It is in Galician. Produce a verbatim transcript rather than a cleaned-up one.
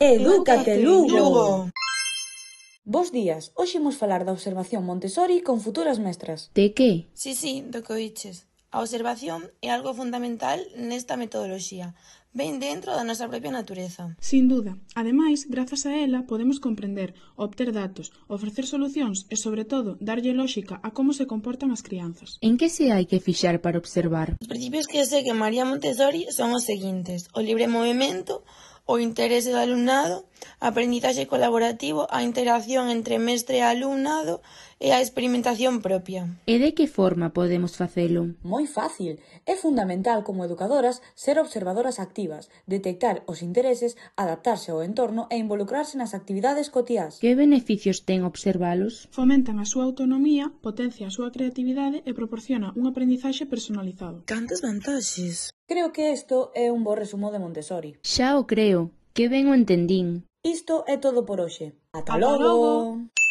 Edúcate, Lugo! Lugo! Bos días, hoxe imos falar da observación Montessori con futuras mestras. De que? Si, si, do que oíches. A observación é algo fundamental nesta metodoloxía. Ven dentro da nosa propia natureza. Sin duda. Ademais, grazas a ela, podemos comprender, obter datos, ofrecer solucións e, sobre todo, darlle lóxica a como se comportan as crianzas. En que se hai que fixar para observar? Os principios que segue María Montessori son os seguintes: o libre movimento, o interese do alumnado, a aprendizaxe colaborativo, a interacción entre mestre e alumnado e a experimentación propia. E de que forma podemos facelo? Moi fácil. É fundamental como educadoras ser observadoras activas, detectar os intereses, adaptarse ao entorno e involucrarse nas actividades cotiás. Que beneficios ten observalos? Fomentan a súa autonomía, potencia a súa creatividade e proporciona un aprendizaxe personalizado. Cantas vantaxes! Creo que isto é un bo resumo de Montessori. Xa o creo, que ben o entendín. Isto é todo por hoxe. Ata Ata logo! logo!